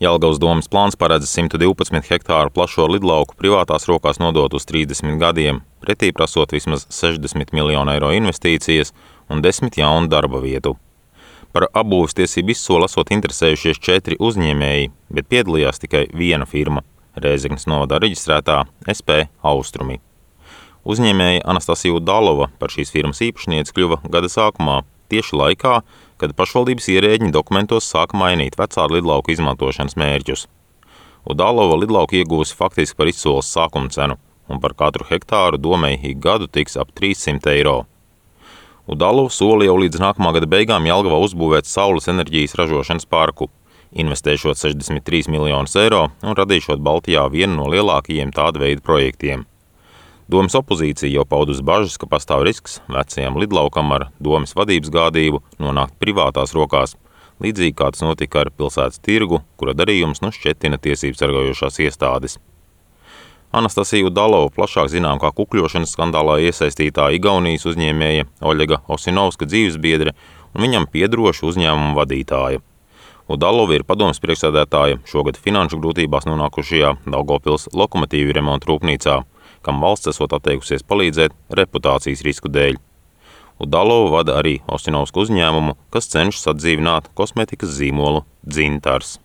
Jelgavas domes plāns paredz 112 hektāru plašo lidlauku privātās rokās nodot uz 30 gadiem, pretī prasot vismaz 60 miljonu eiro investīcijas un 10 jaunu darba vietu. Par apbūves tiesību izsoli esot interesējušies 4 uzņēmēji, bet piedalījās tikai viena firma – Rēzeknes novadā reģistrētā SP Austrumi. Uzņēmēja Anastasija Udalova par šīs firmas īpašnieci kļuva gada sākumā, tieši laikā, kad pašvaldības ierēģi dokumentos sāka mainīt vecā lidlauku izmantošanas mērķus. Udalova lidlauku ieguvusi faktiski par izsoles sākuma cenu, un par katru hektāru domei ik gadu tiks ap 300 eiro. Udalova soli jau līdz nākamā gada beigām Jelgavā uzbūvēt saules enerģijas ražošanas parku, investēšot 63 miljonus eiro un radīšot Baltijā vienu no lielākajiem tāda veida projektiem. Domes opozīcija jau paudusi bažas, ka pastāv risks vecajam lidlaukam ar domes vadības gādību nonākt privātās rokās, līdzīgi kā tas notika ar pilsētas tirgu, kura darījums nu šķetina tiesības sargājošās iestādes. Anastasija Udalova plašāk zinām kā kukļošanas skandālā iesaistītā Igaunijas uzņēmēja Oļega Osinovska dzīvesbiedre un viņam piederoša uzņēmuma vadītāja. Udalova ir padomes priekšsēdētāja šogad finanšu grūtībās nonākušajā Daugavpils lokomotīvu remontu rūpnīcā, kam valsts esot atteikusies palīdzēt reputācijas risku dēļ. Udalova vada arī Osinovska uzņēmumu, kas cenšas atdzīvināt kosmetikas zīmolu Dzintars.